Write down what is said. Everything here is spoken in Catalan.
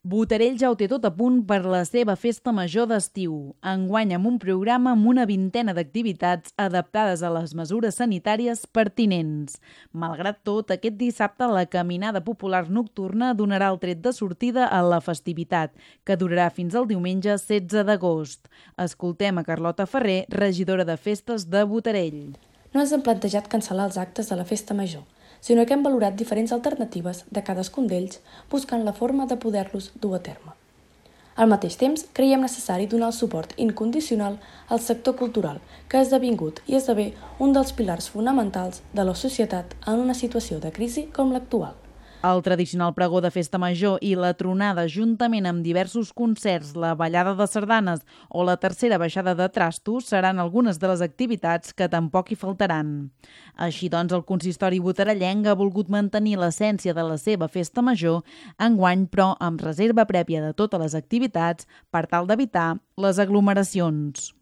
Botarell ja ho té tot a punt per la seva festa major d'estiu. Enguany amb un programa amb una vintena d'activitats adaptades a les mesures sanitàries pertinents. Malgrat tot, aquest dissabte la caminada popular nocturna donarà el tret de sortida a la festivitat, que durarà fins al diumenge 16 d'agost. Escoltem a Carlota Ferrer, regidora de festes de Botarell. No ens hem plantejat cancel·lar els actes de la festa major, sinó que hem valorat diferents alternatives de cadascun d'ells buscant la forma de poder-los dur a terme. Al mateix temps, creiem necessari donar el suport incondicional al sector cultural, que ha esdevingut i esdevé un dels pilars fonamentals de la societat en una situació de crisi com l'actual. El tradicional pregó de festa major i la tronada, juntament amb diversos concerts, la ballada de sardanes o la tercera baixada de trastos, seran algunes de les activitats que tampoc hi faltaran. Així doncs, el consistori botarellenc ha volgut mantenir l'essència de la seva festa major, enguany però amb reserva prèvia de totes les activitats per tal d'evitar les aglomeracions.